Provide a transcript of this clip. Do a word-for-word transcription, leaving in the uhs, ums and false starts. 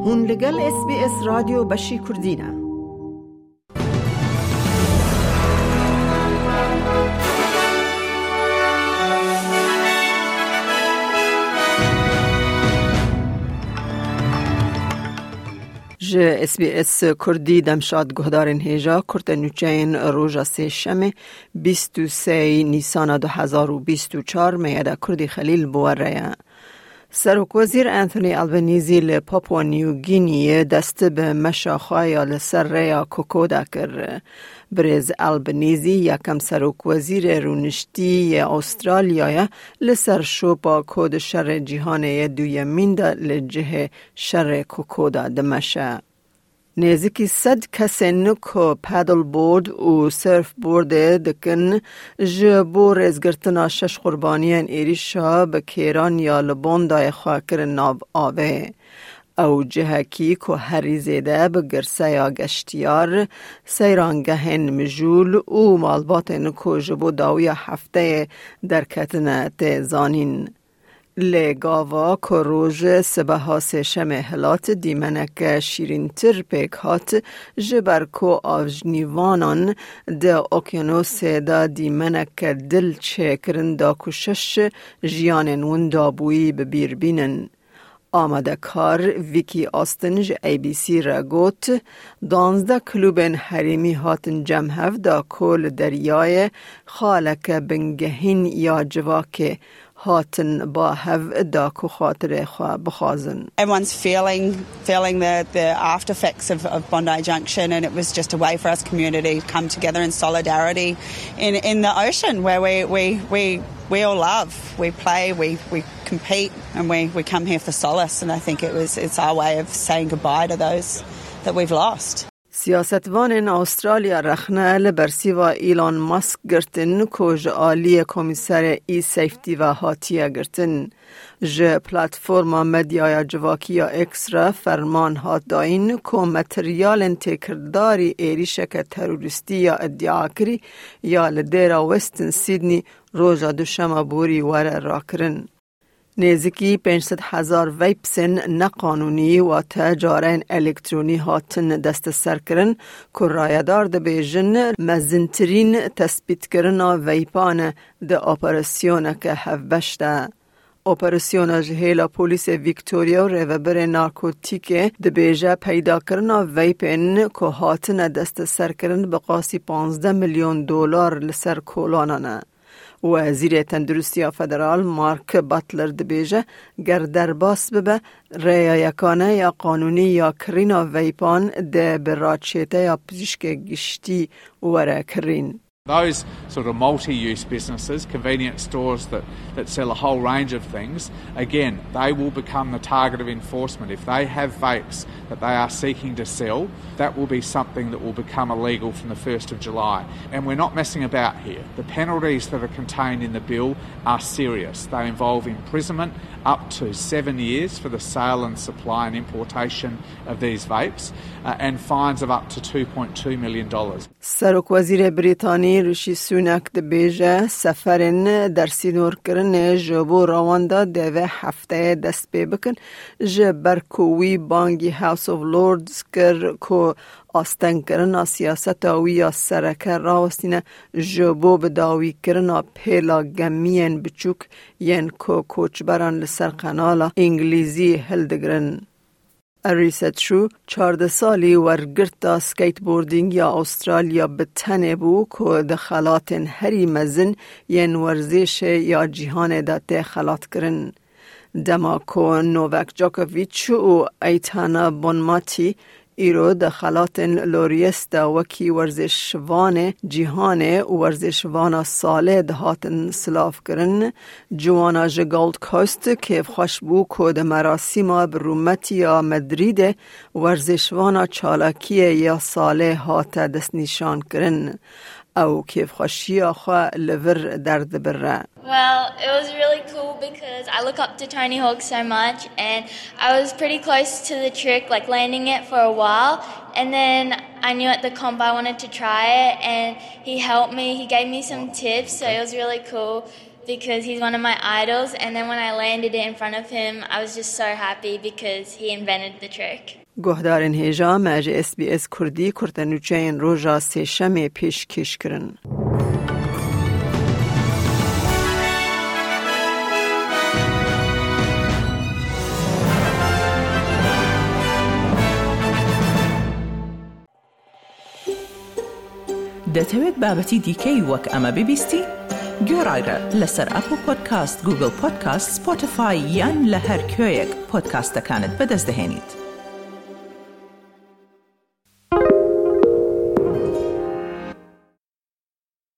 Hûn li gel S B S Radyo Beşî Kurdî ne. Ji S B S Kurdî demşad guhdarên hêja kurte nûçeyên roja sêşemê bîst û sê Nîsana du hezar û bîst û çar meyeda Kurdî Xelîl bi we re ye. Serokwezîr Anthony Albanese li Papua New Guinea'yê dest bi meşa xwe ya li ser rêya Kokoda kir. Birêz Albanese yekem serokwezîrê rûniştî yê Astraliyayê li ser şopa ku di şerê cîhanê yê duyemîn de li cihê şerê Kokoda dimeşe. Nêzîkî sed kesên ku paddleboard û surfboardê dikin, ji bo rêzgirtina şeş qurbaniyên êrîşa bi kêran ya li Bondayê xwe kirin nav avê. Ew cihekî ku herî zêde bi girseya geştiyar, seyrangehên mijûl û malbatên ku ji bo dawiya hefteyê derketine tê zanîn. Lê gava ku roj sibeha sêşemê hilat, dîmeneke şîrîntir pêk hat, ji ber ku avjnîvanan di okyanusê de dîmeneke dil çêkirin da ku şeş jiyanên winda bûyî bi bîr bînin. Amadekar Vicky Austin ji A B C re got, danzdeh klûbên herêmî hatin cem hev da ku li deryayê xaleke bingehîn ya civakê hatin ba hev da ku xatirê xwe bixwazin. Everyone's feeling, feeling the, the after effects of, of Bondi Junction, and it was just a way for us community to come together in solidarity in, in the ocean where we, we, we, we all love, we play, we, we compete, and we, we come here for solace. And I think it was, it's our way of saying goodbye to those that we've lost. Siyasetvanên Astralya rexne li bersîva Elon Musk girtin ku ji aliyê Komîserê e-safety ve hatiye girtin. Ji platforma medyaya civakî ya X re ferman hat dayîn ku materyalên têkildarî êrîşeke terorîstî ya îdiakirî ya li dêra Western Sydney roja duşema borî were rakirin. Nêzîkî pênc sed hezar vapesên neqanûnî, wate careyên elektronî hatin desteserkirin, ku rayedar dibêjin mezintirîn tespîtkirina vapan e di operasyoneke hevbeş de. Operasyona ji hêla polîsê Victoria û rêvebirê narkotîkê dibêje peydakirina vapên ku hatine desteserkirin bi qasî panzdeh milyon dolar li ser kolanan e. Wezîrê Tenduristiya Federal Mark Butler dibêje, ger derbas bibe, rêya yekane ya qanûnî ya kirîna veypan dê bi raçêteya pizîşkê giştî were kirîn. Those sort of multi-use businesses, convenience stores that, that sell a whole range of things, again, they will become the target of enforcement. If they have vapes that they are seeking to sell, that will be something that will become illegal from the first of July. And we're not messing about here. The penalties that are contained in the bill are serious. They involve imprisonment up to seven years for the sale and supply and importation of these vapes, uh, and fines of up to two point two million dollars. Serokwezîrê Brîtanî Rishi Sunak dibêje, seferên dersînorkirinê ji bo rewanda dê vê hefteyê dest pê bikin, ji ber ku wî bangî House of Lords kir ku astengkirina siyaseta wî ya sereke rawestîne ji bo bidawîkirina pêla gemiyên biçûk yên ku koçberan li ser qenala Îngilîzî hildigirin. Arisa Chu, çardeh salî wergirta skateboarding ya Astralya bi tenê bû ku di xelatên herî mezin yên werzêşê ya cîhanê de tê xelatkirin. Dema ku Novak Djokovic û Aitana Bonmati îro di xelatên Laureus de wekî werzêşvanê cîhanê û werzêşvana salê dihatin silavkirin, ciwana ji Gold Coast kêfxweş bû ku di merasîma bi rûmetiya Madrîdê werzêşvana çalakiyê ya salê hate destnîşankirin. Ew kêfxweşiya xwe li vir derdibire. Well, it was really cool because I look up to Tony Hawk so much, and I was pretty close to the trick, like, landing it for a while, and then I knew at the comp I wanted to try it, and he helped me, he gave me some tips, so it was really cool. because he's one of my idols, and then when I landed it in front of him, I was just so happy because he invented the trick. Guhdarên hêja me ji S B S Kurdî kurtenûçeyên roja sêşemê pêşkêş kirin. دەتەوێت بابەتی دیکەی وەک ئەمە ببیستی؟ گوێڕایرە لەسەر ئەپڵ پۆدکاست، گوگڵ پۆدکاست، سپۆتیفای یان لە هەر کوێیەک پۆدکاستەکانت بەدەست دەهێنیت.